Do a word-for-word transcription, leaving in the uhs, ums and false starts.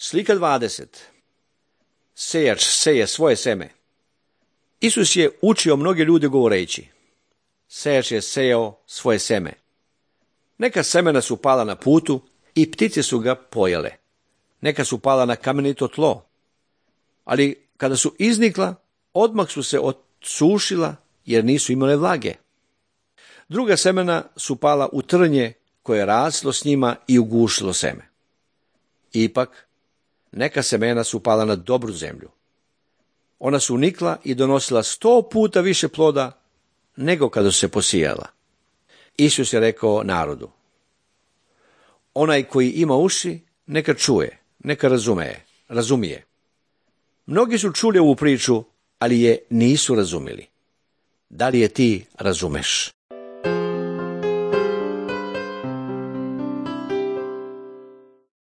Slika dvadeset. Sejač seje svoje seme. Isus je učio mnoge ljude govoreći: sejač je sejao svoje seme. Neka semena su pala na putu i ptice su ga pojele. Neka su pala na kamenito tlo. Ali kada su iznikla, odmah su se odsušila jer nisu imale vlage. Druga semena su pala u trnje koje je raslo s njima i ugušilo seme. Ipak, neka semena su pala na dobru zemlju. Ona su unikla i donosila sto puta više ploda nego kada su se posijala. Isus je rekao narodu: onaj koji ima uši, neka čuje, neka razume, razumije. Mnogi su čuli ovu priču, ali je nisu razumjeli. Da li je ti razumeš?